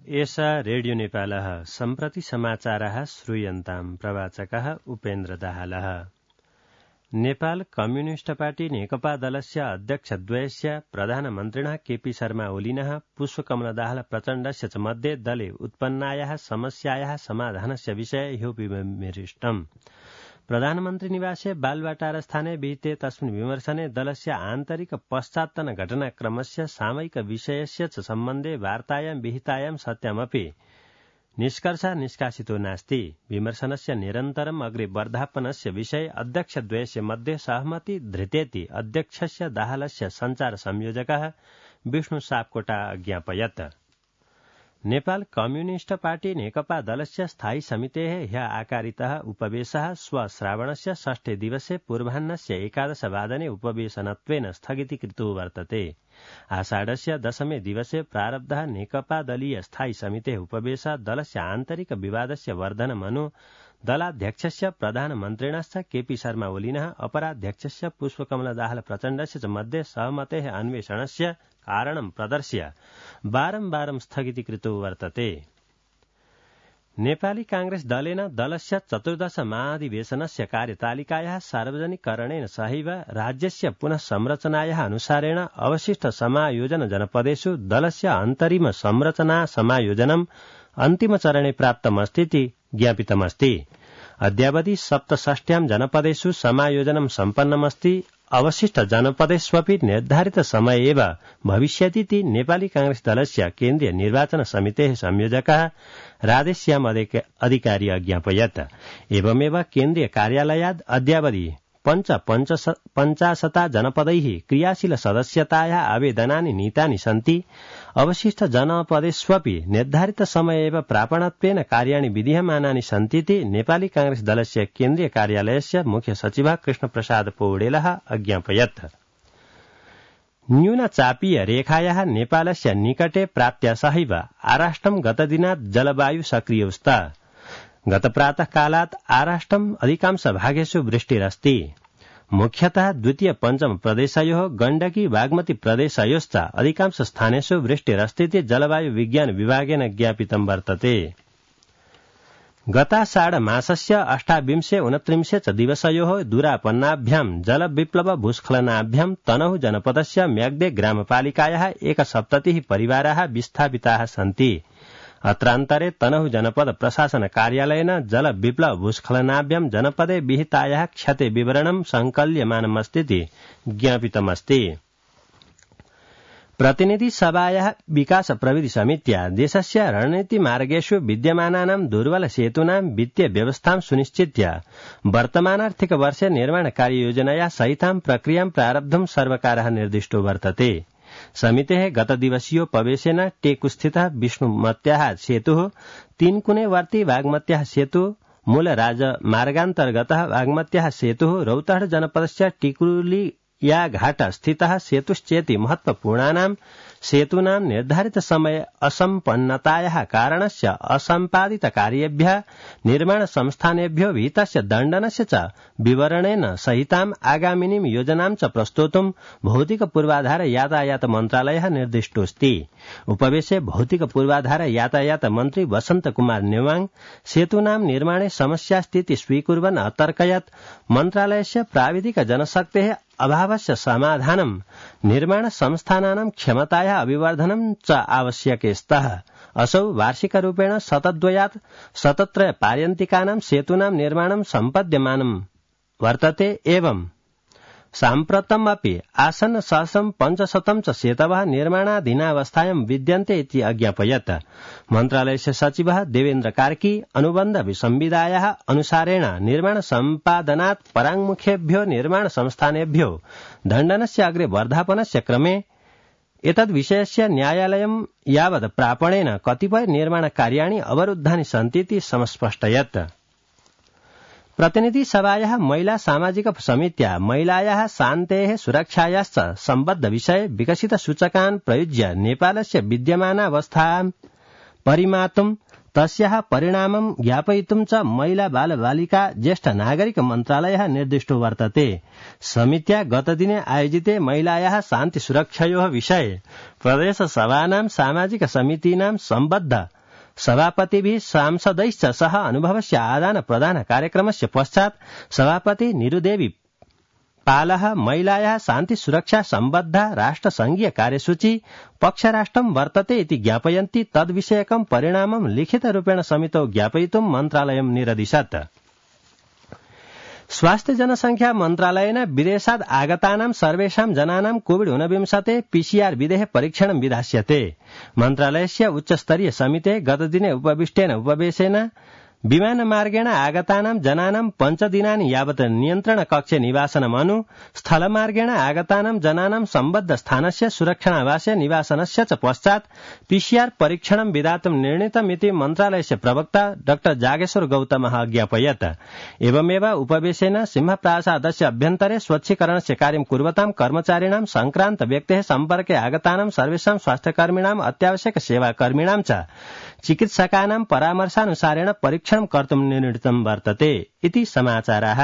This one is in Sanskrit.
एषा रेडियो नेपालः सम्प्रति समाचारः श्रूयन्ताम् प्रवाचकः उपेन्द्र दाहालः। नेपाल कम्युनिस्ट पार्टी नेकपा दलस्य अध्यक्षद्वयस्य प्रधानमन्त्रिणः केपी शर्मा ओलिनः पुष्पकमल दाहाल प्रचण्डस्य च मध्ये दले उत्पन्नायाः समस्यायाः समाधानस्य विषये ह्यो विमृष्टम्। प्रधानमन्त्री निवासे बालवाटारस्थाने विहिते तस्मिन् विमर्शने दलस्य आन्तरिक पश्चात्तन घटनाक्रमस्य सामयिक विषयस्य च सम्बन्धे वार्तायां विहितायां सत्यमपि निष्कर्षः निष्कासितो नास्ति। विमर्शनस्य निरन्तरम् अग्रे वर्धापनस्य विषये अध्यक्षद्वयस्य मध्ये सहमति धृतेति अध्यक्षस्य दाहालस्य सञ्चार संयोजकः विष्णु सापकोटा अज्ञापयत्। नेपाल कम्युनिस्ट पार्टी नेकपा दलस्य स्थायी समितेः ह्यः आकारितः उपवेशः श्रावणस्य षष्ठे दिवसे पूर्वाह्नस्य 11 वादने उपवेशनत्वेन स्थगितीकृतो वर्तते। आषाढस्य 10 दिवसे प्रारब्धः नेकपा दलीय स्थायी समितेः उपवेशः दलस्य आन्तरिक विवादस्य वर्धनमनु दलाध्यक्षस्य प्रधानमन्त्रिणश्च केपी शर्मा ओलिनः अपराध्यक्षस्य पुष्पकमल दाहाल प्रचण्डस्य च मध्ये सहमतेः अन्वेषणस्य कारणं प्रदर्श्य बारम्बारं स्थगितीकृतो वर्तते। नेपाली कांग्रेस दलेन दलस्य 14 महाधिवेशनस्य कार्यतालिकायाः सार्वजनिकरणेन सहैव राज्यस्य पुनः संरचनायाः अनुसारेण अवशिष्ट समायोजन जनपदेषु दलस्य अन्तरिम संरचना समायोजनम् अन्तिमचरणे प्राप्तमस्तीति ज्ञापितमस्ति। अद्यावधि 67 जनपदेषु समायोजनं सम्पन्नमस्ति। अवशिष्ट जनपदेष्वपि निर्धारित समय एव भविष्यतीति नेपाली कांग्रेस दलस्य केन्द्रीय निर्वाचन समितेः संयोजकः राधेश्याम अधिकारी अज्ञापयत्। एवमेव केन्द्रीय कार्यालयात् अद्यावधि 50 जनपदैः क्रियाशील सदस्यतायाः आवेदनानि नीतानि सन्ति। अवशिष्ट जनपदेष्वपि निर्धारित समय एव प्रापणत्वेन कार्याणि विधीयमानानि सन्तीति नेपाली कांग्रेस दलस्य केन्द्रीय कार्यालयस्य मुख्य सचिवः कृष्णप्रसाद पौडेलः अज्ञापयत्। न्यूनचापीय रेखायाः नेपालस्य निकटे प्राप्त्या सहैव आराष्ट्रं गतदिनात् जलवायु सक्रियोऽस्ति। गत प्रातः कालात् आराष्ट्रम् अधिकांश भागेषु वृष्टिरस्ति। मुख्यतः द्वितीय पञ्चम प्रदेशयोः गण्डकी बागमती प्रदेशयोश्च अधिकांश स्थानेषु वृष्टिरस्तीति जलवायु विज्ञान विभागेन ज्ञापितं वर्तते। गताषाढ मासस्य 28-29 च दिवसयोः दूरापन्नाभ्यां जलविप्लव भूस्खलनाभ्यां तनहु जनपदस्य म्याग्दे ग्रामपालिकायाः 170 परिवाराः विस्थापिताः सन्ति। अत्रान्तरे तनहु जनपद प्रशासन कार्यालयेन जल विप्लव भूस्खलनाभ्यां जनपदे विहितायाः क्षते विवरणं संकल्यमानमस्तीति ज्ञापितमस्ति। प्रतिनिधि सभायाः विकास प्रविधि समित्या देशस्य रणनीतिमार्गेषु विद्यमानानां दुर्बल सेतूनां वित्तीय व्यवस्थां सुनिश्चित्य वर्तमानार्थिक वर्षे निर्माण कार्ययोजनया सहितां प्रक्रियां प्रारब्धुं सर्वकारः निर्दिष्टो वर्तते। समितेः गतदिवसीयोपवेशेन टेकुस्थितः विष्णुमत्याः सेतुः, तीनकुनेवर्ती बागमत्याः सेतुः, मूलराजमार्गान्तर्गतः बागमत्याः सेतुः, रौतहट जनपदस्य टिकुलिया घाट स्थितः सेतुश्चेति महत्वपूर्णानां सेतूनां निर्धारित समय असम्पन्नतायाः कारणस्य असम्पादित कार्येभ्यः निर्माण संस्थानेभ्यो विहितस्य दण्डनस्य च विवरणेन सहिताम् आगामिनीं योजनां च प्रस्तोतुं भौतिक पूर्वाधार यातायात मन्त्रालयः निर्दिष्टोऽस्ति। उपवेशे भौतिक पूर्वाधार यातायात मन्त्री वसन्त कुमार नेवाङ सेतूनां निर्माणे समस्यास्थिति स्वीकुर्वन् अतर्कयत् मन्त्रालयस्य प्राविधिक जनशक्तेः अभावस्य समाधानं निर्माण संस्थानानां क्षमतायाः अभिवर्धनं च आवश्यके स्तः। असौ वार्षिकरूपेण शतद्वयात् शतत्रय पार्यन्तिकानां सेतूनां निर्माणं सम्पद्यमानं वर्तते। एवं साम्प्रतम् अपि आसन्न 500 च सेतवः निर्माणाधीनावस्थायां विद्यन्ते इति अज्ञापयत्। मन्त्रालयस्य सचिवः देवेन्द्र कार्की अनुबन्ध संविधायाः अनुसारेण निर्माण सम्पादनात् पराङ्मुखेभ्यो निर्माण संस्थानेभ्यो दण्डनस्य अग्रे वर्धापनस्य क्रमे एतद्विषयस्य न्यायालयं यावत् प्रापणेन कतिपय निर्माण कार्याणि अवरुद्धानि सन्तीति समस्पष्टयत्। प्रतिनिधि सभायाः महिला सामाजिक समित्या महिलायाः शान्तेः सुरक्षायाश्च सम्बद्ध विषये विकसित सूचकान् प्रयुज्य नेपालस्य विद्यमानावस्थां परिमातुं तस्याः परिणामं ज्ञापयितुं च महिला बाल बालिका ज्येष्ठ नागरिक मन्त्रालयः निर्दिष्टो वर्तते। समित्या गतदिने आयोजिते महिलायाः शान्ति सुरक्षयोः विषये प्रदेश सभानां सामाजिक समितीनां सम्बद्ध सभापतिभिः सांसदैश्च सह अनुभवस्य आदान प्रदान कार्यक्रमस्य पश्चात् सभापति निरुदेवी पालः महिलायाः शान्ति सुरक्षा सम्बद्धा राष्ट्रसंघीय कार्यसूची पक्षराष्ट्रं वर्तते इति ज्ञापयन्ति तद्विषयकं परिणामं लिखितरूपेण समितौ ज्ञापयितुं मन्त्रालयं निरदिशत्। स्वास्थ्य जनसंख्या मन्त्रालयेन विदेशात् आगतानां सर्वेषां जनानां कोविड-19 पीसीआर विधेः परीक्षणं विधास्यते। मन्त्रालयस्य उच्चस्तरीय समिते गतदिने उपविष्टेन उपवेशेन विमानमार्गेण आगतानां जनानां 5 दिनानि यावत् नियन्त्रण कक्षे निवासनमनु स्थलमार्गेण आगतानां जनानां सम्बद्ध स्थानस्य सुरक्षणावासे निवासनस्य च पश्चात् पीसीआर परीक्षणं विधातुं निर्णीतमिति मन्त्रालयस्य प्रवक्ता डॉ जागेश्वर गौतमः ज्ञापयत्। एवमेव उपवेशेन सिंहप्रासादस्य अभ्यन्तरे स्वच्छीकरणस्य कार्यं कुर्वतां कर्मचारिणां संक्रान्त व्यक्तेः सम्पर्के आगतानां सर्वेषां स्वास्थ्यकर्मिणाम् अत्यावश्यक सेवाकर्मिणां च चिकित्सकानां परामर्शानुसारेण परीक्षणं कर्तुं निर्णीतं वर्तते इति समाचाराः।